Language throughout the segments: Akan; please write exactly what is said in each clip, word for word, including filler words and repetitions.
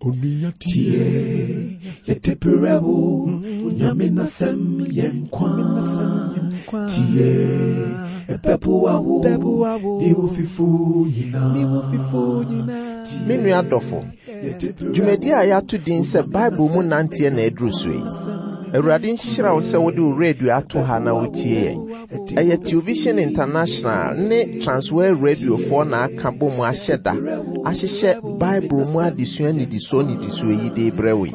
Tie, yɛde brɛ wo, Nyame n'asɛm yɛ nkwa. Tie, ɛbɛboa wo, ne wo fifo nyinaa. Me nua dɔfo, dwumadi a yɛato din sɛ Bible mu nanteɛ na aduru so yi. Awurade nhyira wo sɛ wode wo radio ato ha na wotie yɛn. Ɛyɛ Television International ne Transworld Radiofoɔ na aka bɔ mu ahyɛ da ahyehyɛ Bible mu adesua nnidisoɔ nnidisoɔ yi de brɛ wo yi.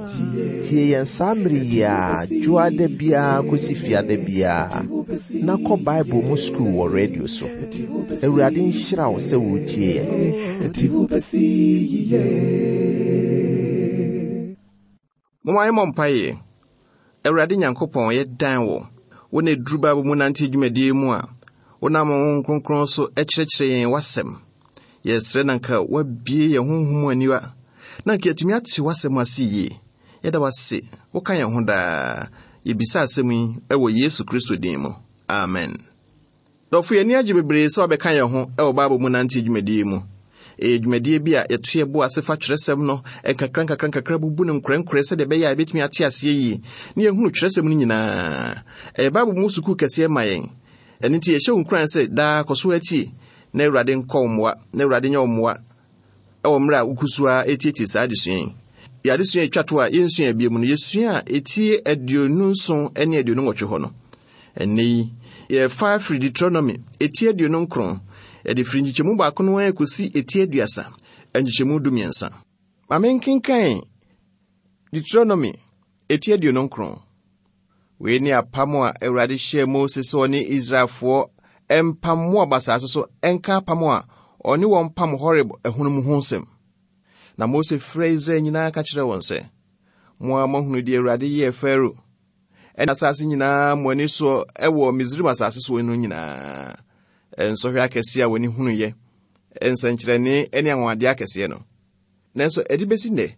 Tie yɛn saa mmere yi a dwoada biara kɔsi fiada biara na kɔ Bible mu sukuu wɔ radio so. Awurade nhyira wo sɛ wotie yɛn. Ɛde wo bɛsi yiye. Momma yɛmmɔ mpaeɛ. Awurade Nyankopɔn, yɛdan wo. Wo na ɛduru Bible mu nante dwumadie mu a, wonam wo Honhom Kronkron so kyerɛkyerɛ yɛn w'asɛm. Yɛsrɛ na nka woabue yɛn honhom mu aniwa, na nka yɛatumi ate w'asɛm ase yie. Yɛda wo ase, woka yɛn ho daa. Yɛbisa asɛm yi wɔ Yesu Kristo din mu. Amen. Dɔfo, yɛn ani agye bebree sɛ wabɛka yɛn ho wɔ Bible mu nante dwumadie mu. Ɛyɛ dwumadie bi a yɛto yɛ bo ase fa twerɛsɛm no nkakra nkakra nkakra bubu no nkorɛnkorɛ sɛdeɛ ɛbɛyɛ a yɛbɛtumi ate aseɛ yie na yɛhunu twerɛsɛm no nyinaa. Ɛyɛ Bible mu sukuu kɛseɛ ma yɛn. Ɛno nti yɛhyɛ wo nkuran sɛ daa kɔ so atie na Awurade nkɔ wo mmoa na Awurade nyɛ wo mmoa ɛwɔ mmerɛ a woku so a ɛtietie saa adesua yi. Yɛ adesua a ɛtwa to a yɛnsua bio mu no, yɛsua a ɛtie aduonu nson ne aduonu nwɔtwe hɔ no. Ɛnnɛ yi, yɛfa afiri Deuteronomy ɛtie aduonu nkron, yɛde firi nkyekyɛmu baako no ara kɔsi ɛtie aduasa, nkyekyɛmu du mmiɛnsa. Ma menkenkan Deuteronomy ɛtie aduonu nkron. Wei ne apam a Awurade hyɛɛ Mose sɛ ɔne Israelfoɔ mpam Moab asase so ɛnka apam a ɔne wɔn pam Horeb ɛhono mu ho nsɛm. Na Mose frɛɛ Israel nyinaa ka kyerɛɛ wɔn sɛ, mo a moahunu deɛ Awurade yɛɛ Farao ɛne asase nyinaa mo ani soɔ ɛwɔ Misraim asase soɔ no nyinaa. Nsɔhwɛ akɛseɛ a wɔne hunuyɛ, nsɛnkyerɛnne ne anwanwadeɛ akɛseɛ no. Nanso ɛde bɛsi nnɛ,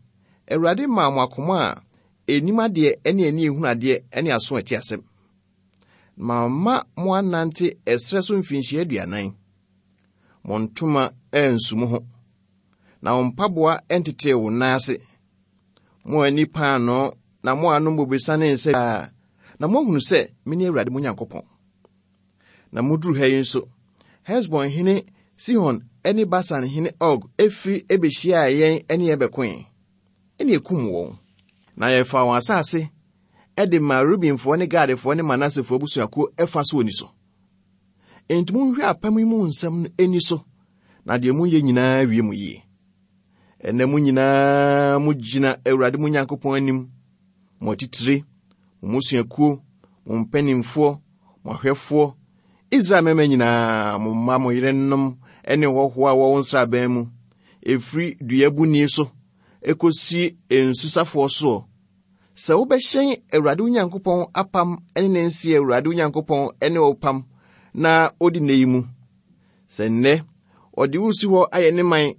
Awurade maa mo akoma a ɛnim adeɛ ne ani ehunu adeɛ ne aso a ɛte asɛm. Mamma mo anante ɛserɛ so mfirinhyia aduanan. Mo ntoma ansu mo ho, na mo mpaboa ntetee wo nan ase. Mo ani paanoo na mo anom bobesa ne nsa a, na moahunu sɛ mene Awurade mo Nyankopɔn. Na moduru ha yi nso, Hesbon hene Sihon ne Basan hene Og efiri ebehyiaa yɛn ne yɛn bɛkoe, ɛne ekum wɔn. Na yɛfaa wɔn asase ɛde maa Rubenfoɔ ne Gadfoɔ ne Manasefoɔ abusuakuo ɛfa so oni so. Enti monhwɛ apam yi mu nsɛm no ani so, na deɛ moyɛ nyinaa wie mo yie. Ɛnnɛ mo nyinaa mogyina Awurade mo Nyankopɔn anim, mo atitire, mo mmusuakuo, mo mpanimfoɔ, mo ahwɛfoɔ, Israel mmarima nyinaa, mo mma, mo yerenom ne hɔhoɔ a wɔwɔ nsraban mu, ɛfiri duabuni so ekosi nsusafoɔ soɔ. Sɛ wobɛhyɛn Awurade wo Nyankopɔn apam ne ne nse Awurade wo Nyankopɔn ne wo pam na odi nne yi mu. Sɛ nnɛ ɔde wo si hɔ ayɛ ne man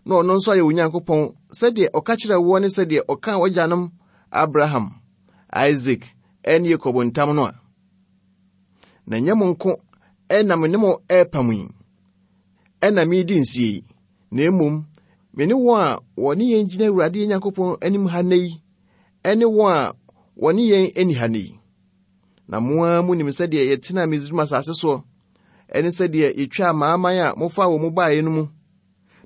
na ɔno nso ayɛ wo Nyankopɔn sɛdeɛ ɔka kyerɛɛ woɔ ne sɛdeɛ ɔkaa w'agyanom Abraham, Isaac ne Yakob ntam no a, na ɛnyɛ mo nko ɛna me ne mo ɛrepam yi, ɛna meredi nsie yi, na mmom me ne wɔn a wɔne yɛn gyina Awurade yɛn Nyankopɔn anim ha nnɛ yi, ɛne wɔn a wɔne yɛn ani ha nnɛ yi. Na mo ara munim sɛdeɛ yɛtenaa Misraim asase soɔ, ɛne sɛdeɛ yɛtwaa amanaman a mofaa wɔn mu baeɛ no mu,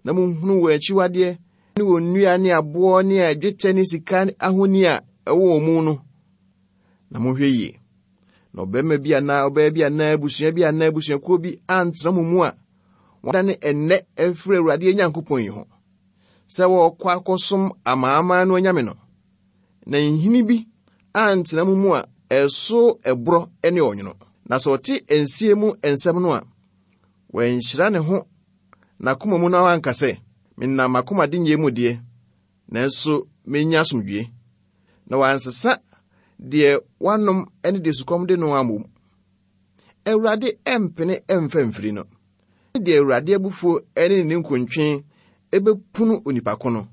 na monhunu wɔn akyiwadeɛ ne wɔn nnua ne aboɔ ne dwetɛ ne sika ahoni a ɛwɔ wɔn mu no. Na monhwɛ yie, na ɔbarima bi anaa ɔbaa bi anaa abusua bi anaa abusuakuo bi antena mo mu a wɔadane ɛnnɛ afiri Awurade yɛn Nyankopɔn yi ho, sɛ wɔrekɔ akɔsom amanaman no anyame no, na nhini bi antena mo mu a ɛso ɛborɔ ne ɔnwono. Na sɛ ɔte nsie mu nsɛm no a, wanhyira ne ho n'akoma mu na wanka sɛ, menam m'akoma denyɛ mu deɛ, nanso menya asomdwie. Na wansesa deɛ wanom ne deɛ sukɔm de no ammom. Awurade ɛmpene ɛmfa mfiri no. Deɛ Awurade abufuo ne ne nkontwe ɛbɛpunu onipa ko no.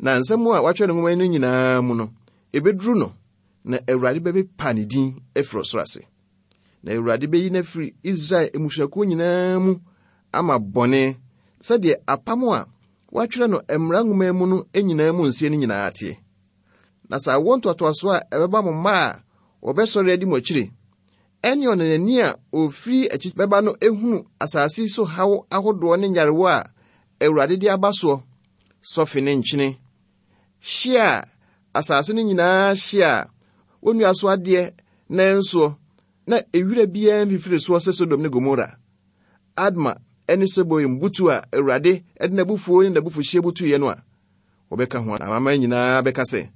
Na nsɛm a wɔatwerɛ no nwoma no nyinaa mu no, ɛbɛduru no, na Awurade bɛpepa ne din afiri ɔsoro ase. Na Awurade bɛyi no afiri Israel mmusuakuo nyinaa mu ama bɔne, sɛdeɛ apam a wɔatwerɛ no mmara nwoma mu no nyinaa mu nseɛ no nyinaa teɛ. Na sɛ awoɔ ntoatoasoɔ a ɛbɛba mo mma a wɔbɛsɔre adi mo akyire, ɛne ɔnanani a ofiri akyi bɛba no ehunu asase yi so haw ahodoɔ ne nyarewa a Awurade de aba soɔ, sɔfe ne nkyene, hye a asase no nyinaa hye a wonnua so adeɛ nansoɔ, na ewira biara mfifiri soɔ sɛ Sodom ne Gomora, Adma ne Seboim butu a Awurade de n'abufuo ne n'abufuhyeɛ butuiɛ no a, wɔbɛka ho amanaman nyinaa bɛka sɛ,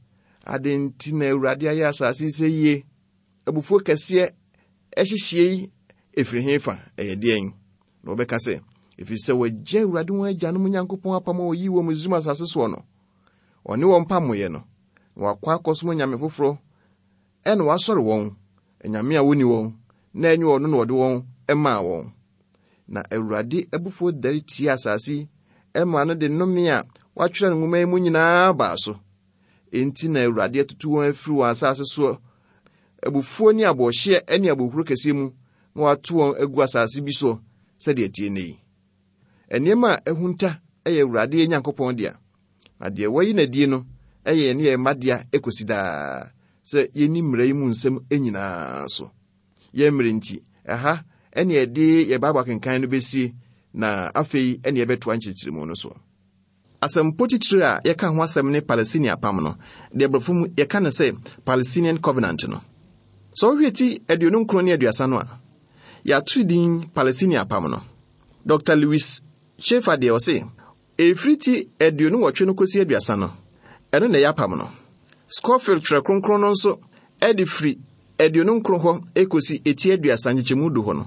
ade nti na Awurade ayɛ asase yi sɛ yie? Abufuo kɛseɛ ɛhyehyɛ yi ɛfiri he fa? Ɛyɛ deɛn? Na wɔbɛka sɛ, ɛfiri sɛ wɔagya Awurade wɔn agyanom Nyankopɔn apam a ɔyii wɔ Misraim asase soɔ no, ɔne wɔn pamoeɛ no, na wakɔ akɔsom anyame foforɔ, ɛna wasɔre wɔn, anyame a wonni wɔn, na ɛnyɛ ɔno na ɔde wɔn maa wɔn. Na Awurade abufuo dare tia asase yi, ɛma no de nnome a wɔatwerɛ no nwoma yi mu nyinaa baa so. Enti na Awurade atutu wɔn afiri wɔn asase soɔ, abufuo ne aboɔhyeɛ ne abohuro kɛseɛ mu, na wato wɔn agu asase bi soɔ sɛdeɛ ɛteɛ nnɛ yi. Nneɛma a ɛhunta yɛ Awurade Nyankopɔn dea, na deɛ wayi n'adie no yɛ yɛn ne yɛn mma dea ekosi daa, sɛ yɛnni mmara yi mu nsɛm nyinaa so. Yɛn mmerɛ nti, ɛha ɛne yɛde yɛn Bible akenkan no bɛsie, na afei ɛne yɛbɛtoa nkyerɛkyerɛmu no so. Asɛmpo titire a yɛka ho asɛm ne Palestine apam no, deɛ borɔfo mu yɛka no sɛ Palestinian Covenant no. Sɛ wohwɛ ti aduonu nkron ne aduasa no a, yɛato din Palestine apam no. Doctor Lewis Schaefer deɛ ɔse, ɛfiri ti aduonu nwɔtwe no kɔsi aduasa no, ɛno na ɛyɛ apam no. Scofield twerɛ kronkron no nso ɛde firi aduonu nkron hɔ ekosi eti aduasa nkyekyɛmu du hɔ no,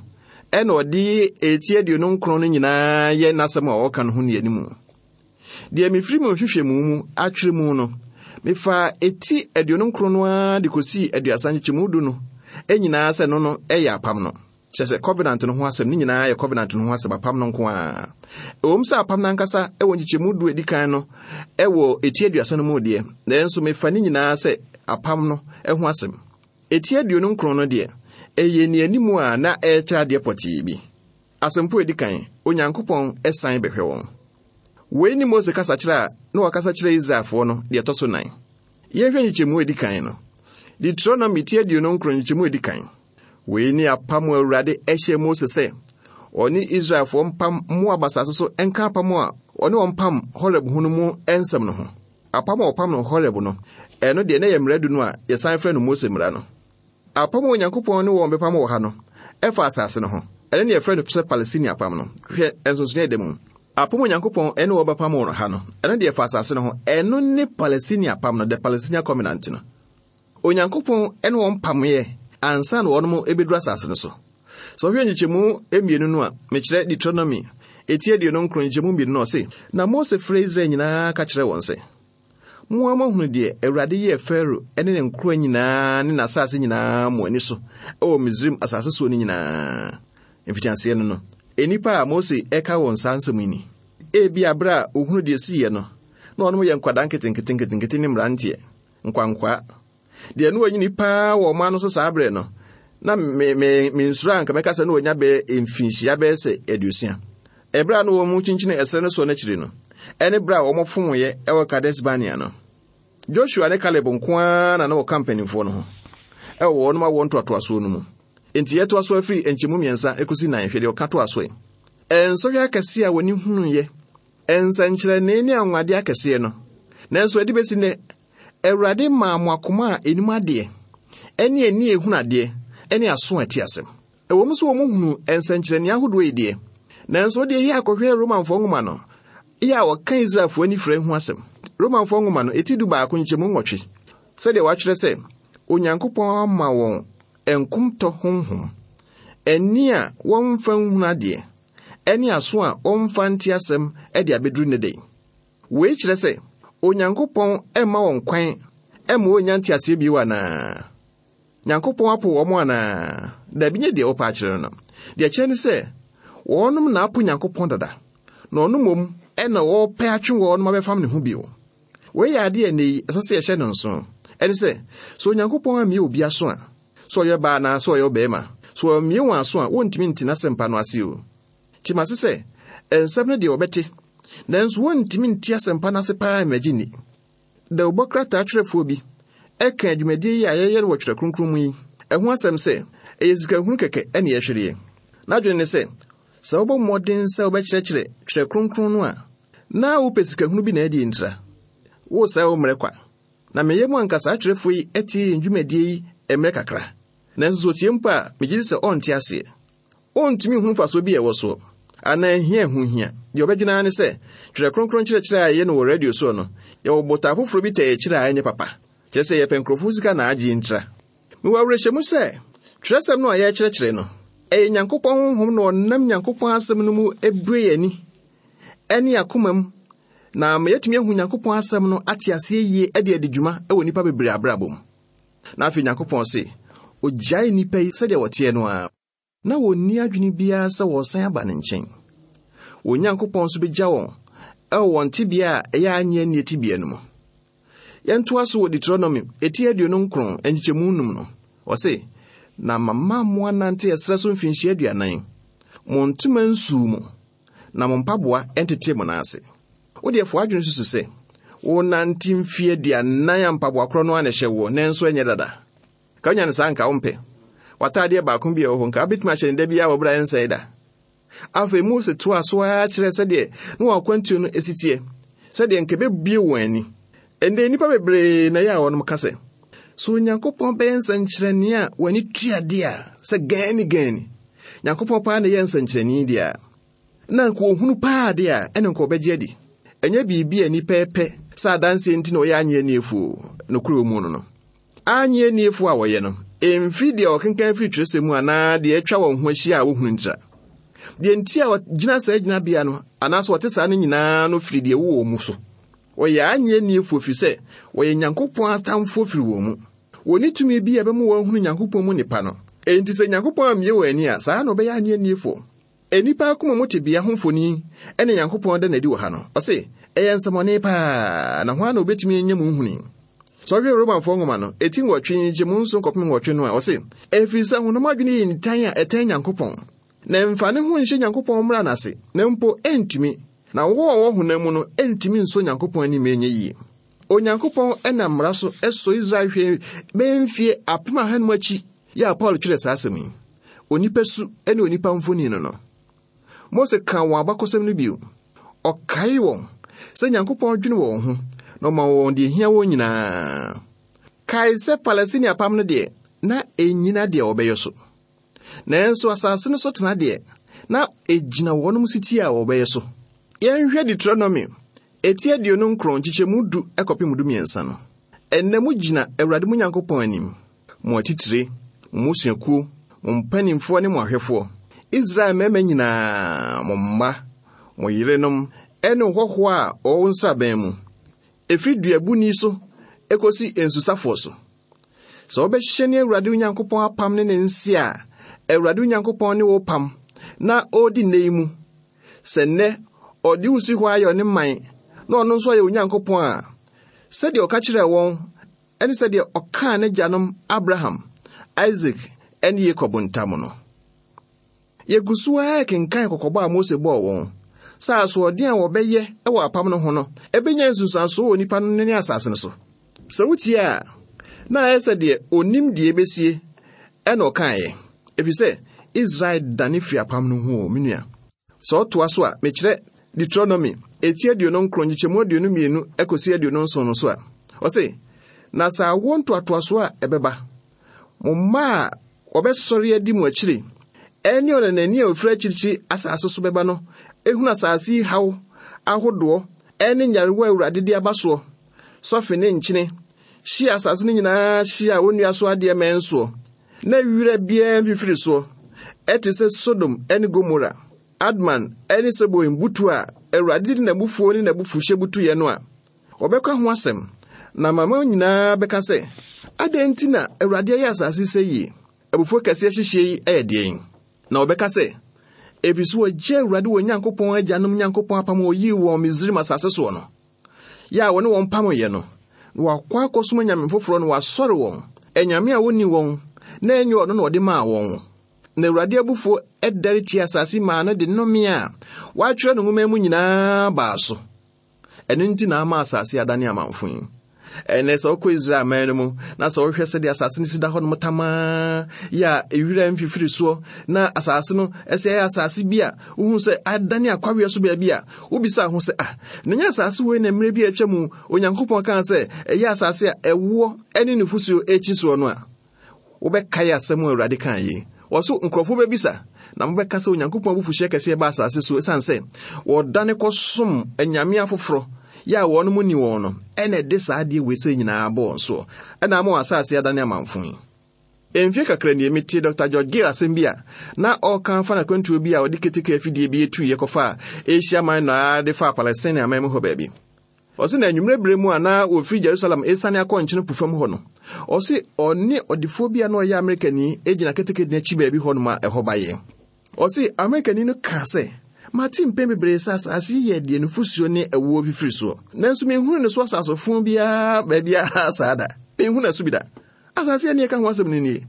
ɛna ɔde eti aduonu nkron no nyinaa yɛ n'asɛm a ɔka no ho ne anim. Deɛ mefiri mu nhwehwɛmu mu atwerɛ mu no, mefa eti aduonu nkron no ara de kɔsii aduasa nkyekyɛmu du no nyinaa sɛ no no ɛyɛ apam no. Kyerɛ sɛ covenant no ho asɛm ne nyinaa yɛ covenant no ho asɛm, apam no nko ara. Ɛwom sɛ apam no ankasa ɛwɔ nkyekyɛmu du edi kan no ɛwɔ eti aduasa no mu deɛ, nanso mefa ne nyinaa sɛ apam no ho asɛm. Eti aduonu nkron no deɛ, ɛyɛ nnianimu a na ɛrekyerɛ adeɛ pɔtee bi. Asɛmpo edi kan, Onyankopɔn ɛsan bɛhwɛ wɔn. Wei ne Mose kasa kyerɛ a na wakasa kyerɛ Israelfoɔ no deɛ ɛtɔ so nan. Yɛnhwɛ nkyekyɛmu edi kan no. Deuteronomy ti aduonu nkron nkyekyɛmu edi kan. Wei ne apam a Awurade ɛhyɛ Mose sɛ ɔne Israelfoɔ mpam Moab asase so nka apam a ɔne wɔn pam Horeb ho no mu nsɛm no ho. Apam a ɔpam no Horeb no, ɛno deɛ na ɛyɛ mmara du no a yɛsan frɛ no Mose mmara no. Apam a Onyankopɔn ne wɔn bɛpam wɔ ha no, ɛfa asase no ho. Ɛno ne yɛfrɛ no sɛ Palestine apam no. Hwɛ nsonsonoeɛ da mu. Apam a Onyankopɔn ne wɔn bɛpam wɔ ha no, ɛno deɛ ɛfa asase no ho. Ɛno ne Palestine apam no, the Palestinian Covenant no. Onyankopɔn ne wɔn pameɛ ansa na wɔnom ebɛduru asase no so. Sɛ ɔhwɛ nkyekyɛmu mmienu no a, mekyerɛ Deuteronomy eti aduonu nkron nkyekyɛmu mmienu no, ɔse, na Mose frɛ Israel nyinaa ka kyerɛ wɔn sɛ, mo ara moahunu deɛ Awurade yɛɛ Farao ne ne nkoa nyinaa ne n'asase nyinaa mo ani so wɔ Misraim asase soɔ no nyinaa. Mfitiaseɛ no no, nnipa a Mose ɛka wɔn saa nsɛm yi ni. Ebia berɛ a ohunu deɛ siiɛ no, na ɔnom yɛ nkwadaa nketenkete nketenkete ne mmeranteɛ, nkwankwaa. Deɛ no wɔnyini paa wɔ ɔman no so saa berɛ no, na me, me, me nsuro a nka mɛka sɛ na wɔnya bɛyɛ mfinhyia bɛyɛ sɛ aduosia. Ɛberɛ a na wɔn mu kyinkyini ɛserɛ no soɔ no akyiri no, ɛne berɛ a wɔn fomoeɛ ɛwɔ Kades Barnea no, Joshua ne Caleb nko ara na na wɔka mpanimfoɔ no ho ɛwɔ wɔn awoɔ ntoatoasoɔ no mu. Enti yɛtoa so afiri nkyɛmu mmiɛnsa ekosi nan, hwɛ deɛ ɔka toa so yi. Nsɔhwɛ akɛseɛ a wɔne hunuiɛ, nsɛnkyerɛnne ne anwanwadeɛ akɛseɛ no, nanso ɛde bɛsi nnɛ, Awurade maa mo akoma a enim adeɛ, ɛne ani a ehunu adeɛ, ɛne aso a ɛte asɛm. Ɛwɔ mu sɛ wɔn hunu nsɛnkyerɛnne ahodoɔ yi deɛ, nanso deɛ yɛ akɔhwɛ Romanfoɔ nwoma no, yɛ a wɔka Israelfoɔ ani fira ho asɛm. Romanfoɔ nwoma no, eti du baako nkyɛmu nwɔtwe, sɛdeɛ wɔatwerɛ sɛ, Onyankopɔn ama wɔn nkomtɔ honhom, ani a wɔmfa nhunu adeɛ, ɛne aso a wɔmfa nte asɛm de abɛduru ne den. Wei kyerɛ sɛ, Onyankopɔn mma wɔn kwan mma wɔnnya nteaseɛ bio anaa? Nyankopɔn apo wɔn anaa? Dabi, nyɛ deɛ wɔpɛ akyerɛ no no. Deɛ kyerɛ ne sɛ, wɔnom na apo Nyankopɔn dada, na ɔno mmom ɛna wɔpɛ atwe wɔnom abɛfam ne ho bio. Wei yɛ adeɛ a ɛnnɛ yi, ɛsɛ sɛ yɛhyɛ no nso. Ɛne sɛ, sɛ Onyankopɔn ammue obi aso a, sɛ ɔyɛ baa anaa sɛ ɔyɛ ɔbarima, sɛ ɔmmue wɔn aso a, wɔntumi nte n'asɛmpa no ase o. Kyerɛ ase sɛ, nsɛm no deɛ wɔbɛte, Nanso wɔntumi nte asɛmpa no ase paa mmɛgye nni. Dawubɔ krataa twerɛfoɔ bi ɛka adwumadie yi a yɛyɛ no wɔ Twerɛ Kronkron mu yi ɛho asɛm sɛ ɛyɛ sikahunu kɛkɛ ɛne yɛhwereɛ. N'adwene ne sɛ, sɛ wobɔ mmɔden sɛ wobɛkyerɛkyerɛ Twerɛ Kronkron no a, na wopɛ sikahunu bi na adi ntira. Wosɛe wo mmerɛ kwa. Na meyɛ mu anka saa atwerɛfoɔ yi atie yɛn dwumadie yi mmerɛ kakra. Nanso sɛ otie mpo a, megye di sɛ ɔnte aseɛ. Ɔntumi nhu mfasoɔ bi a ɛwɔ soɔ, anaa hia ɛho hia. Deɛ ɔbɛdwene ara ne sɛ, Twerɛ Kronkron kyerɛkyerɛ a yɛyɛ no wɔ radio soɔ no, yɛwɔ botae foforɔ bi tɛ akyire a ɛnyɛ papa. Kyerɛ sɛ yɛpɛ nkurɔfoɔ sika na agye ntira. Mewɔ awerɛhyɛmu sɛ, twerɛsɛm no a yɛrekyerɛkyerɛ no, ɛyɛ Nyankopɔn honhom na ɔnam Nyankopɔn asɛm no mu ebue yɛn ani ɛne akoma mu, na ama yɛatumi ahu Nyankopɔn asɛm no ate aseɛ yie de adi dwuma wɔ nnipa bebree abrabɔ mu. Na afei Nyankopɔn se, ogyae nnipa yi sɛdeɛ wɔteɛ no ara, na wɔnni adwene biara sɛ wɔresan aba ne nkyɛn. Wɔn Nyankopɔn nso begya wɔn ɛwɔ wɔn tebea a ɛyɛ anyɛ annie tebea no mu. Yɛntoa so wɔ Deuteronomy eti aduonu nkron nkyekyɛmu num no. Ɔse, na mama mo anante ɛserɛ so mfinhyia aduanan. Mo ntoma nsuu mo, na mo mpaboa ntete mo nan ase. Wo deɛ fo adwene susu sɛ, wonante mfie aduanan a mpaboa korɔ no ara na ɛhyɛ woɔ, nanso ɛnyɛ dada. Ka wonya no saa nka wompɛ. W'ataadeɛ baako bi a ɛwɔ hɔ nka wobɛtumi ahyɛ no da biara wɔ berɛ a ɛnsɛe da. Afei Mose toa so ara kyerɛ sɛdeɛ na wɔn akwantuo no esi teɛ, sɛdeɛ nka ɛbɛbue wɔn ani. Ɛnnɛ nnipa bebree na ɛyɛ a wɔnom ka sɛ, sɛ Onyankopɔn bɛyɛ nsɛnkyerɛnne a w'ani tua deɛ a, sɛ gani gani, Nyankopɔn paa na ɛyɛ nsɛnkyerɛnne deɛ a, na nka ohunu paa deɛ a, ɛne nka ɔbɛgye adi. Ɛnyɛ biribi a nnipa pɛ sɛ adanseɛ nti na ɔyɛ anyɛ aniefoɔ nokorɛ wɔ mu no no. Anyɛ aniefoɔ a wɔyɛ no, ɛmfiri deɛ ɔkenkan firi twerɛsɛm mu anaa deɛ atwa wɔn ho ahyia a wohunu ntira. Deɛ nti a wɔgyina saa gyinabea no anaasɛ wɔte saa no nyinaa no firi deɛ ɛwɔ wɔn mu so. Wɔyɛ anyɛ aniefoɔ firi sɛ wɔyɛ Nyankopɔn atamfoɔ firi wɔn mu. Wɔnni tumi bi a ɛbɛma wɔahunu Nyankopɔn mu nipa no. Enti sɛ Nyankopɔn ammue wɔn ani a, saa na wɔbɛyɛ anyɛ aniefoɔ. Nnipa akoma mu tebea ho mfoni ɛne Nyankopɔn da n'adi wɔ ha no. Ɔse, ɛyɛ nsɛmmɔne paa, na hwan na obetumi anya mu nhuni? Sɛ ɔhwɛ Romanfoɔ nwoma no, eti nwɔtwe nkyɛmu nson kɔpem nwɔtwe no a, ɔse, ɛfiri sɛ honam adwene yɛ nitan a ɛtɛn Nyankopɔn, na ɛmfa ne ho nhyɛ Nyankopɔn mmara n'ase, na mpo ɛntumi, na wɔn a wɔwɔ honam mu no ɛntumi nsɔ Nyankopɔn anim ɛnyɛ yie. Onyankopɔn ɛnam mmara so ɛsɔ Israel hwɛ bɛyɛ mfie apem ahanum akyi yɛ a Paul twerɛ saa asɛm yi. Onipa su ne onipa mfoni no no. Mose ka wɔn abakɔsɛm no bio. Ɔkae wɔn sɛ Nyankopɔn dwene wɔn ho na ɔma wɔn deɛ ehia wɔn nyinaa. Kae sɛ Palestina apam no deɛ, na ɛnnyina deɛ wɔbɛyɛ so. Nanso asase no so tena deɛ, na ɛgyina wɔnom sitie a wɔbɛyɛ so. Yɛnhwɛ Deuteronomy eti aduonu nkron nkyekyɛmu du ɛkɔpem du mmiɛnsa no. Ɛnnɛ mo gyina Awurade mo Nyankopɔn anim, mo atitire, mo mmusuakuo, mo mpanimfoɔ ne mo ahwɛfoɔ, Israel mmarima nyinaa, mo mma, mo yerenom, ɛne hɔhoɔ a ɔwɔ nsraban mu, ɛfiri duabuni so ekosi nsusafoɔ so. Sɛ wobɛhyɛ ne Awurade wo Nyankopɔn apam ne ne nse a, Awurade wo Nyankopɔn ne wo pam na ɔredi nnɛ yi mu. Sɛ nnɛ ɔde wo si hɔ ayɛ ɔne man, na ɔno nso ayɛ Onyankopɔn a, sɛdeɛ ɔka kyerɛɛ wɔn, ɛne sɛdeɛ ɔkaa n'agyanom Abraham, Isaac, ɛne Yakob ntam no. Yɛgu so ara kenkan kɔkɔbɔ a Mose bɔɔ wɔn, sɛ asoɔden a wɔbɛyɛ wɔ apam no ho no, ɛbɛnya nsunsuansoɔ wɔ nnipa no ne asase no so. Sɛ wotie a, na ayɛ sɛ deɛ onim deɛ ɛbɛsie ɛna ɔkaeɛ, ɛfiri sɛ Israel dane firi apam no ho o, me nua. Sɛ ɔtoa so a, mekyerɛ Deuteronomy eti aduonu nkron nkyekyɛmu aduonu mmienu ɛkɔsi aduonu nson no so a, ɔse, na sɛ awoɔ ntoatoasoɔ a ɛbɛba, mo mma a wɔbɛsɔre adi mo akyire, ɛne ɔnanani a ofiri akyirikyiri asase so bɛba no, ehunu asase yi haw ahodoɔ ɛne nyarewa a Awurade de aba soɔ, sɔfe ne nkyene, hyia asase no nyinaa hyia a wonnua so adeɛ mmɛn soɔ, na wira biara mfifiri soɔ, ɛte sɛ Sodom ɛne Gomora, Adman ɛne Seboim butu a Awurade de n'abufuo ne n'abufuhyeɛ butuiɛ no a, wɔbɛka ho asɛm, na amanaman nyinaa bɛka sɛ, adɛn nti na Awurade ayɛ asase sɛ yie? Abufuo kɛseɛ hyehyɛ yi ɛyɛ deɛn? Na wɔbɛka sɛ, ɛfiri sɛ wɔgye Awurade wɔn Nyankopɔn agyanom Nyankopɔn apam a ɔyii wɔn Misraim asase soɔ no, yɛ a wɔne wɔn pamoeɛ no, na wɔakɔ akɔsom anyame foforɔ no wɔasɔre wɔn, anyame a wonni wɔn, na ɛnyɛ ɔno na ɔde maa wɔn. Na Awurade abufuo ɛdɛre tia asase maa no de nnome a wɔatwerɛ no nwoma mu nyinaa baa so. Ɛno nti na ama asase adane amamfo yi. Ɛnɛ sɛ wokɔ Israel man no mu na sɛ wohwɛ sɛdeɛ asase no si da hɔ nom tamaa yɛ a ewira mfifiri soɔ na asase no ɛsɛ ɛyɛ asase bi a wohu sɛ adane akwaweɛ so baabi a wobisa ho sɛ ah, na nyɛ asase wei na mmerɛ bi a atwa mu Onyankopɔn kaa sɛ ɛyɛ asase a ɛwoɔ ne nufosuo akyi soɔ no a, wobɛkae asɛm a Awurade kaa yi. Wɔso nkurɔfoɔ bɛbisa na mobɛka sɛ Onyankopɔn abufuhyeɛ kɛseɛ ba asase so ɛsiane sɛ wɔdane kɔsom anyame afoforɔ yɛ a wɔn mu ni wɔn no, ɛna ɛde saa adeɛ wei sɛ nyinaa bɔ wɔn soɔ, ɛna ama wɔn asase adane amamfo yi. Mfie kakra nie metie Doctor George Gill asɛm bi a na ɔreka fa n'akwantuo bi a ɔde keteke afidie bi etuiɛ kɔfa Asia Minor de fa Palestine aman mu hɔ baabi. Ɔse na anwummerɛ berɛ mu a na wɔfiri Jerusalem esiane akɔ nkyene po fam hɔ no, ɔse ɔne ɔdefoɔ bi a na ɔyɛ Amerikani gyina keteke n'akyi baabi hɔ nom a ɛhɔ bayɛ. Ɔse Amerikani no kaa sɛ, mate mpɛn bebree sɛ asase yi yɛ deɛ nufosuo ne ɛwoɔ fifiri soɔ, nanso menhunu ne so asasefo biara baabiara saa da. Menhunu ɛso bi da. Asase a ne yɛka ho asɛm no nie.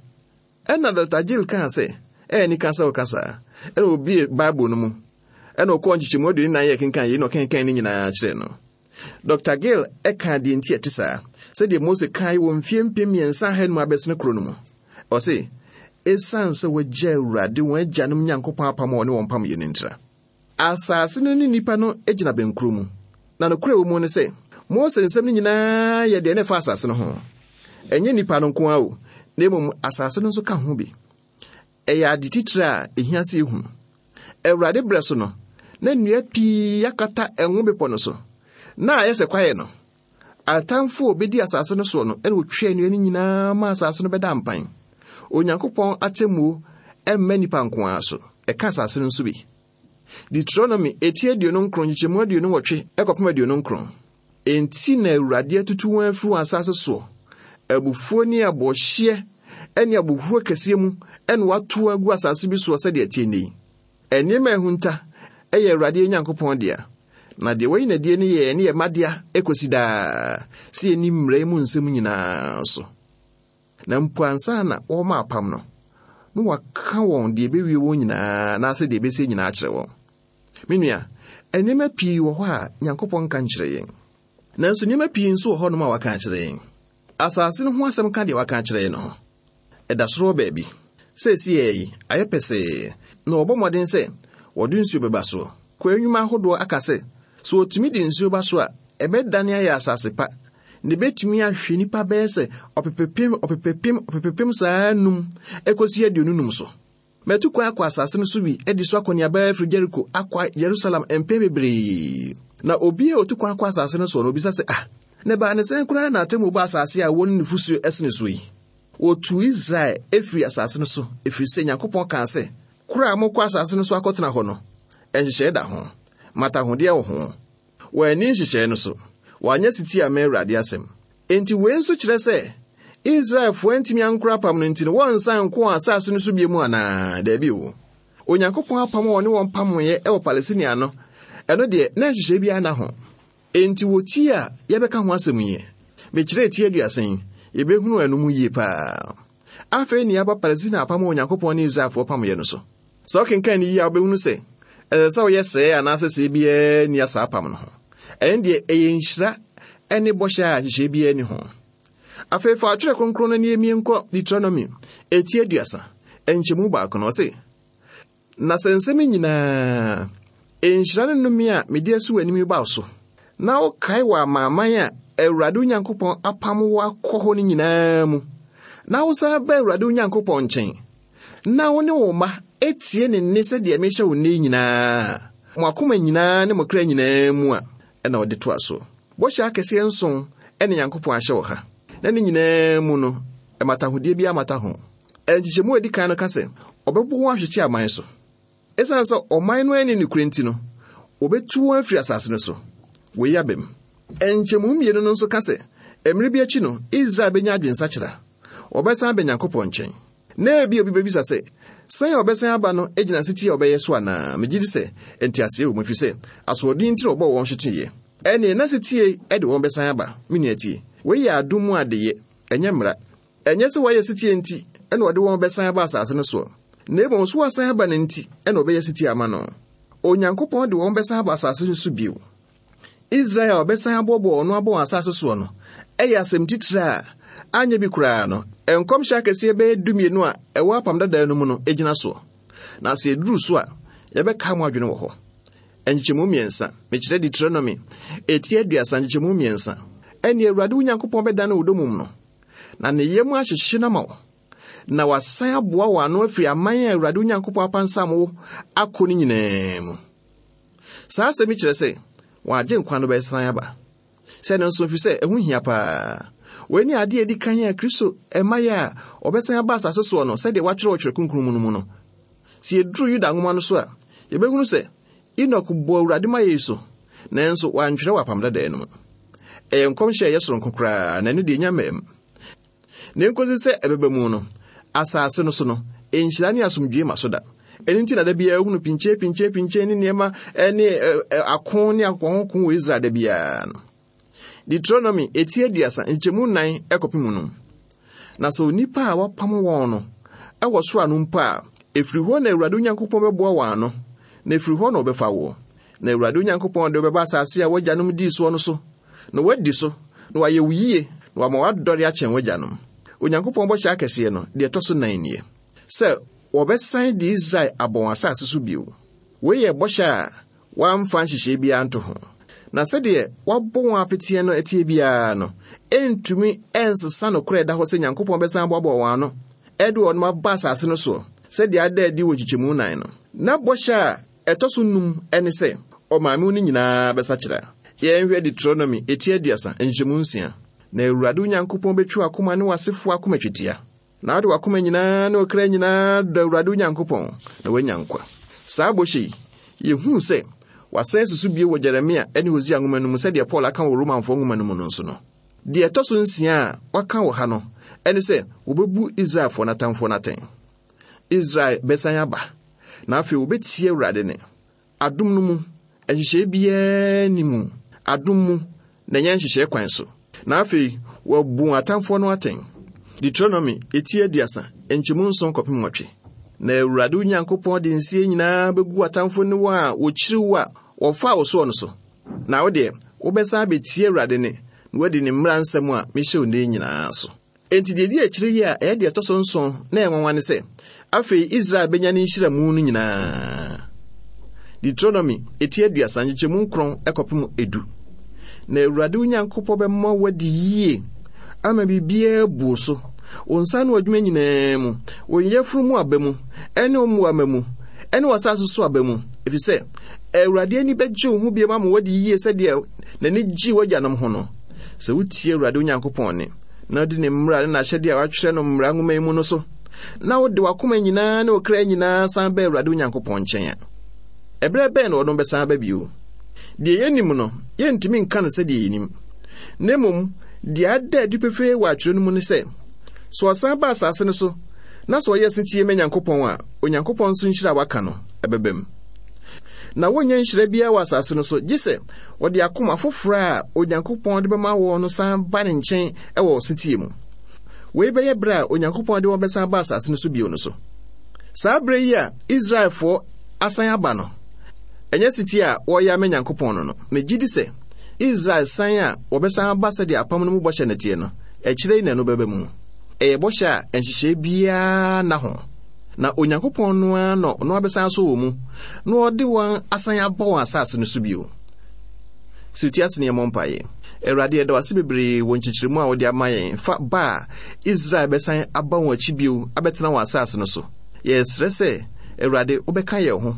Ɛna Doctor Gill kaa sɛ, ɛyɛ nika sɛ ɔka saa. Ɛna obie Bible no mu. Ɛna ɔkɔɔ nkyekyɛmu aduonu nan yɛ kenkan yei na ɔkenkan ne nyinaa kyerɛ no. Doctor Gill ɛka deɛ nti ɛte saa, sɛdeɛ Mose kae wɔ mfie mpem mmiɛnsa ahanum abɛsene kuro no mu. Ɔse, ɛsiane sɛ wɔagya Awurade wɔn agyanom Nyankopɔn apam a ɔne wɔn pam yɛ no ntira. Asase no ne nnipa no gyina bɛnkuro mu. Na nokorɛ wɔ mu ne sɛ, Mose nsɛm no nyinaa yɛ deɛ ne fa asase no ho. Ɛnyɛ nnipa no nko ara o, na mmom asase no nso ka ho bi. Ɛyɛ ade titire a ehia sɛ ehu. Awurade berɛ so no, na nnua pii akata ɛnwo bepɔ no so. Na ayɛ sɛ kwaeɛ no, atamfo a obedi asase no soɔ no, ɛna otwaa nnua no nyinaa ma asase no bɛda mpan. Onyankopɔn atemmuo ɛmma nnipa nko ara so, ɛka asase no nso bi. Deuteronomy eti aduonu nkron nkyekyɛmu aduonu nwɔtwe ɛkɔpem aduonu nkron. Enti na Awurade atutu wɔn afiri wɔn asase soɔ, abufuo ne abɔhyeɛ ne abohuro kɛseɛ mu ɛna wato wɔn agu asase bi soɔ sɛdeɛ ɛteɛ nnɛ yi. Nneɛma a ɛhunta ɛyɛ Awurade Nyankopɔn dea, na deɛ wayi n'adie no yɛ ne yɛ mma dea ekosi daa, sɛ yɛnni mmara yi mu nsɛm nyinaa so. Na mpo ansa na wɔma apam no, na waka wɔn deɛ ɛbɛwie wɔn nyinaa anaasɛ deɛ ɛbɛsie nyinaa akyerɛ wɔn. Me nua, nneɛma pii wɔ hɔ a Nyankopɔn nka nkyerɛ yɛn. Nanso nneɛma pii nso wɔ hɔnom a waka akyerɛ yɛn. Asase no ho asɛm ka deɛ waka akyerɛ yɛn no ho. Ɛda soro hɔ baabi. Seesei yi, ayɛ pɛsɛɛ, na wɔbɔ mmɔden sɛ wɔde nsuo bɛba soɔ. Kɔ nnwuma ahodoɔ aka sɛ, sɛ wɔtumi de nsuo ba so a, ɛbɛdane ayɛ asase pa, na ebetumi ahwɛ nnipa bɛyɛ sɛ ɔpepepem, ɔpepepem, ɔpepepem saa num ekosi aduonu num so. Matu kwan akɔ asase no so bi adi so akɔneaba afiri Jericho akɔ Jerusalem mpɛn bebree. Na obi a otu kwan akɔ asase no so no obisa sɛ, ah, na ɛbaa ne sɛn koraa na atemmu ba asase a wɔn nufosuo ɛsene so yi? Wɔtu Israel efiri asase no so, efiri sɛ Nyankopɔn kaa sɛ, koro a mokɔ asase no so akɔtena hɔ no, ɛnhyehyɛe da ho, matahodeɛ wɔ ho. Wɔanni nhyehyɛe no so, wɔanyɛ setie amma Awurade asɛm. Enti wei nso kyerɛ sɛ, Israelfoɔ antumi ankora apam no nti no, wɔnsan nko wɔn asase no so bio mu anaa? Daabi o. Onyankopɔn apam a ɔne wɔn pamoeɛ wɔ Palestina no, ɛno deɛ, na nhyehyɛe biara nna ho. Enti wɔ ti a yɛbɛka ho asɛm yi, mekyerɛɛ ti aduasa yi, yɛbɛhunu ɛno mu yie paa. Afei ne yɛaba Palestina apam a Onyankopɔn ne Israelfoɔ pamoeɛ no so. Sɛ wokenkan no yie a, wobɛhunu sɛ, ɛsɛ sɛ woyɛ sɛɛ anaasɛ sɛɛ biara nni saa apam no ho. Ɛno deɛ, ɛyɛ nhyira ne bɔhyɛ a nhyehyɛe biara nni ho. Afei fa atwerɛ kronkron no ne yɛmmie nkɔ Deuteronomy eti aduasa, nkyɛmu baako no, ɔse, na sɛ nsɛm nyinaa, nhyira ne nnome a mede asi w'anim yi ba wo so, na wokae wɔ amanaman a Awurade wo Nyankopɔn apam wo akɔ hɔ no nyinaa mu, na wosan ba Awurade wo Nyankopɔn nkyɛn, na wo ne wo mma etie ne nne sɛdeɛ mehyɛ wo nne nyinaa, mo akoma nyinaa ne mo kra nyinaa mu a, ɛna ɔde toa so. Bɔhyɛ akɛseɛ nson ɛne Nyankopɔn ahyɛ wɔ ha. Na ne nyinaa mu no, ɛmatahodeɛ bi amata ho. Nkyekyɛmu a edi kan no ka sɛ, ɔbɛbɔ wɔn ahwehye aman so. Esiane sɛ ɔman no ani nokorɛ nti no, wɔbɛtu wɔn afiri asase no so. Wei aba mu. Nkyɛmu mmienu no nso ka sɛ, mmere bi akyi no, Israel bɛnya adwensakyera. Wɔbɛsan aba Nyankopɔn nkyɛn. Na ebi obi bɛbisa sɛ, sɛn a ɔbɛsan aba no gyina setie a ɔbɛyɛ so anaa? Megye di sɛ nteaseɛ wɔ mu, ɛfiri sɛ asoɔden nti na wɔbɔɔ wɔn hweteeɛ. Ɛnneɛ na setie de wɔn bɛsan aba. Me nua tie, wei yɛ adom mu adeyɛ, ɛnyɛ mmara. Ɛnyɛ sɛ wɔayɛ setie nti ɛna wɔde wɔn bɛsan aba asase no soɔ. Na mmom so wasan aba no nti ɛna ɔbɛyɛ setie ama no. Onyankopɔn de wɔn bɛsan aba asase no so bio. Israel a ɔbɛsan aboaboa ɔno abɔ wɔn asase soɔ no, ɛyɛ asɛm titire a anyɛ bi koraa no, nkɔmhyɛ akɛseɛ bɛyɛ dumienu a ɛwɔ apam dadaa no mu no gyina soɔ. Na sɛ yɛduru so a, yɛbɛka mo adwene wɔ hɔ. Nkyekyɛmu mmiɛnsa, mekyerɛ Deuteronomy, eti aduasa nkyekyɛmu mmiɛnsa. Ɛne Awurade wo Nyankopɔn bɛdane wo domum no, na ne yam ahyehye no ama wo, na wasan aboa wo ano afiri aman a Awurade wo Nyankopɔn apansam wo akɔ no nyinaa mu. Saa asɛm yi kyerɛ sɛ, wɔn agye nkwa no bɛsan aba. Sɛ no nso, ɛfiri sɛ ɛho hia paa. Wei ne adeɛ a ɛdi kan a Kristo ɛmayɛ a ɔbɛsan aba asase soɔ no, sɛdeɛ wɔatwerɛ wɔ Twerɛ Kronkron mu no mu no. Sɛ yɛduru Yuda nwoma no so a, yɛbɛhunu sɛ Enoch bɔɔ Awurade ma yei so, nanso wantwerɛ wɔ apam dadaa no mu. Ɛyɛ nkɔmhyɛ a ɛyɛ soronko koraa, na ɛno deɛ ɛnya mmaa mu. Na nkosi sɛ ɛbɛba mu no, asase no so no, nhyira ne asomdwoe ma so da. Ɛno nti na da biara wohunu pinkyɛ, pinkyɛ, pinkyɛ ne nneɛma ne ako ne akɔnkɔnko wɔ Israel da biara no. Deuteronomy eti aduasa nkyɛmu nnan ɛkɔpem no. Na sɛ onipa a wapam wɔn no ɛwɔ soro ano mpo a, ɛfiri hɔ na Awurade Onyankopɔn bɛboa wɔn ano, na ɛfiri hɔ na ɔbɛfa woɔ. Na Awurade Onyankopɔn de wobɛba asase a w'agyanom dii soɔ no so, na woadi so, na wayɛ wo yie, na wama woadɔre akyɛn w'agyanom. Onyankopɔn bɔhyɛ akɛseɛ no, deɛ ɛtɔ so nan nie, sɛ wɔbɛsan de Israel abɔ wɔn asase so bio. Wei yɛ bɔhyɛ a wɔamfa nhyehyɛe biara nto ho. Na sɛdeɛ wɔabɔ wɔn apeteɛ no atie biara no, ɛntumi ɛnsesa nokorɛ ɛda hɔ sɛ Nyankopɔn bɛsan aboaboa wɔn ano, ɛde wɔn aba asase no soɔ, sɛdeɛ ada adi wɔ nkyekyɛmu nan no. Na bɔhyɛ a ɛtɔ so num ɛne sɛ, ɔmaame no nyinaa bɛsakyera. Yɛnhwɛ Deuteronomy eti aduasa nkyɛmu nsia. Na Awurade Onyankopɔn bɛtwi w'akoma ne w'asefoɔ akoma twetia. Na wode w'akoma nyinaa ne wo kra nyinaa dɔ Awurade Onyankopɔn, na woanya nkwa. Saa bɔhyɛ yi, yɛhuu sɛ wasan susu bio wɔ Jeremia ne Hosea nwoma no mu sɛdeɛ Paul aka wɔ Romanfoɔ nwoma no mu no nso no. Deɛ ɛtɔ so nsia a waka wɔ ha no, ɛne sɛ wɔbɛbu Israelfoɔ n'atamfoɔ no atɛn. Israel bɛsan aba, na afei wɔbɛtie Awurade ne. Adom no mu, nhyehyɛe biara nni mu. Adom mu, na ɛnyɛ nhyehyɛe kwan so. Na afei, wɔabu wɔn atamfoɔ no atɛn. Deuteronomy eti aduasa, nkyɛmu nson kɔpem nwɔtwe. Na Awurade Onyankopɔn de nsie nyinaa bɛgu atamfoɔ ne wɔn a wɔkyiri wo a wɔfaa wo soɔ no so. Na wo deɛ, wobɛsan abɛtie Awurade ne, na woadi ne mmara nsɛm a mehyɛ wo nnɛ nyinaa so. Enti deɛ ɛdi akyire yi a ɛyɛ deɛ ɛtɔ so nson na ɛyɛ nwanwa ne sɛ, afei Israel bɛnya ne nhyiramu no nyinaa. Deuteronomy eti aduasa nkyekyɛmu nkron ɛkɔpem edu. Na Awurade Onyankopɔn bɛma woadi yie ama biribiara abu wo so. Wo nsa ano adwuma nyinaa mu, wo yafunu mu aba mu, ɛne wo mmoa mma mu, ɛne w'asase so aba mu. Ɛfiri sɛ, Awurade ani bɛgye wo ho bio ama woadi yie sɛdeɛ n'ani gyee w'agyanom ho no. Sɛ wotie Awurade Onyankopɔn nne, na wodi ne mmara ne n'ahyɛdeɛ a wɔatwerɛ no mmara nwoma yi mu no so, na wode w'akoma nyinaa ne wo kra nyinaa san ba Awurade Onyankopɔn nkyɛn a, ɛberɛ bɛn na ɔno bɛsan aba bio? Deɛ yɛnim no, yɛntumi nka no sɛdeɛ yɛnim. Na mmom, deɛ ada adi pefee wɔ atwerɛ no mu ne sɛ, sɛ ɔsan ba asase no so, na sɛ ɔyɛ setie ma Nyankopɔn a, Onyankopɔn nso nhyira a waka no, ɛbɛba mu. Na wonnya nhyira biara wɔ asase no so, gye sɛ wɔde akoma foforɔ a Onyankopɔn de bɛma wɔn no san ba ne nkyɛn wɔ setie mu. Wei bɛyɛ berɛ a Onyankopɔn de wɔn bɛsan ba asase no so bio no so. Saa berɛ yi a Israelfoɔ asan aba no, ɛnyɛ setie a wɔreyɛ ama Nyankopɔn no no. Megye di sɛ Israel san a wɔbɛsan aba sɛdeɛ apam no mu bɔhyɛ no teɛ no, akyire yi na ɛno bɛba mu. Ɛyɛ bɔhyɛ a nhyehyɛe biara nna ho. Na Onyankopɔn no ara na ɔno abɛsan so wɔ mu, na ɔde wɔn asan aba wɔn asase no so bio. Sɛ wotie ase ne yɛmmɔ mpaeɛ. Awurade, yɛda wo ase bebree wɔ nkyekyeremu a wode ama yɛn fa ba a Israel bɛsan aba wɔn akyi bio abɛtena wɔn asase no so. Yɛsrɛ sɛ, Awurade, wobɛka yɛn ho,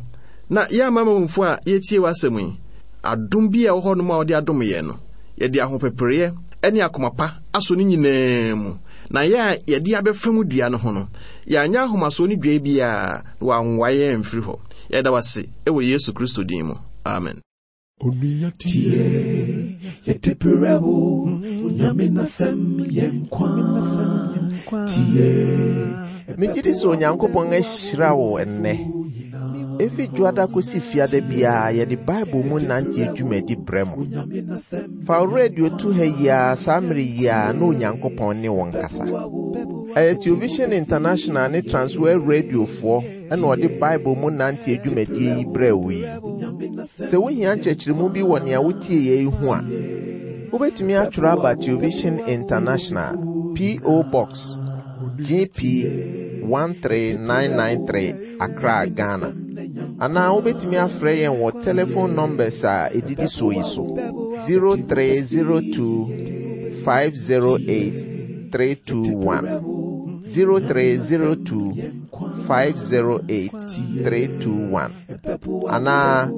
na yɛn amanamanmufo a yɛtie w'asɛm yi, adom bi a ɛwɔ hɔnom a wode adom yɛn no, yɛde ahopepereɛ ne akoma pa asɔ ne nyinaa mu. Na yɛn a yɛde abɛfa mu dua no ho no, yɛanyɛ ahomasoɔ ne dua biara, na wɔanwoa yɛn amfiri hɔ. Yɛda wo ase wɔ Yesu Kristo din mu. Amen. Onua tie, yɛde brɛ wo, Onyame n'asɛm yɛ nkwa. Tie, Megye di sɛ Onyankopɔn ahyira wo ɛnnɛ. Efi dwoada kosi fiada biara yɛde Bible mu nante dwumadi brɛ mo. Fa wo radio to ha yi ara saa mmere yi ara na Onyankopɔn ne wɔn kasa. Ɛyɛ Television International ne Transworld Radiofoɔ ɛna ɔde Bible mu nante dwumadie yi brɛ wo yi. Sɛ wohia nkyerɛkyerɛmu bi wɔ nea wotie yɛ yi ho a, wobɛtumi atwerɛ aba Television International, P O. Box G P one three nine nine three, Accra, Ghana. Anaa wobɛtumi afrɛ yɛn wɔ telephone numbers a ɛdidi so yi so: zero three zero two five zero eight three two one, zero three zero two five zero eight three two one, anaa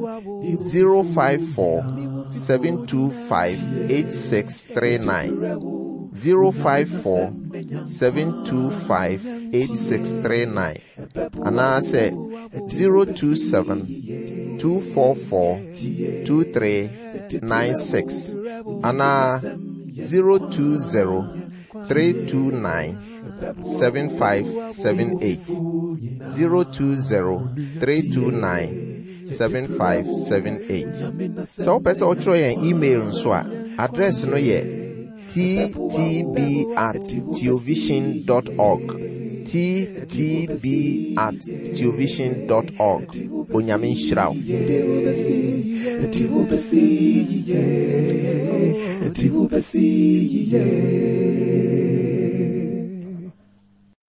zero five four seven two five eight six three nine, zero five four seven two five eight six three nine, anaasɛ zero two seven two four four two three nine six, anaa zero two zero three two nine seven five seven eight, zero two zero three two nine seven five seven eight. Sɛ wopɛ sɛ wotwerɛ yɛn email nso a, address no yɛ T T B at theovision dot org, T T B at theovision dot org. Onyame nhyira wo. Ɛde wobɛsi yiye, ɛde wobɛsi yiye.